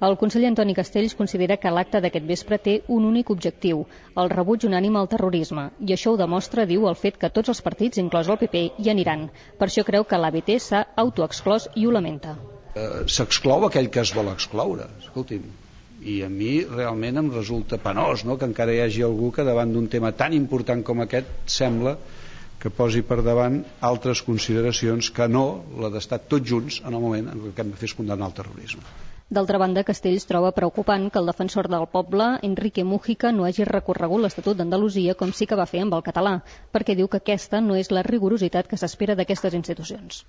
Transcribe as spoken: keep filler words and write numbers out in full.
El conseller Antoni Castells considera que l'acte d'aquest vespre té un únic objectiu, el rebuig unànime al terrorisme, i això ho demostra, diu, el fet que tots els partits, inclòs el P P, hi aniran. Per això creu que l'A B T s'ha autoexclòs i ho lamenta. Uh, S'exclou aquell que es vol excloure, escolti'm. I a mi realment em resulta penós, no?, que encara hi hagi algú que davant d'un tema tan important com aquest sembla que posi per davant altres consideracions que no la d'estar tots junts en el moment en què hem de fer és condemnar el terrorisme. D'altra banda, Castells troba preocupant que el defensor del poble, Enrique Mújica, no hagi recorregut l'Estatut d'Andalusia com sí que va fer amb el català, perquè diu que aquesta no és la rigorositat que s'espera d'aquestes institucions.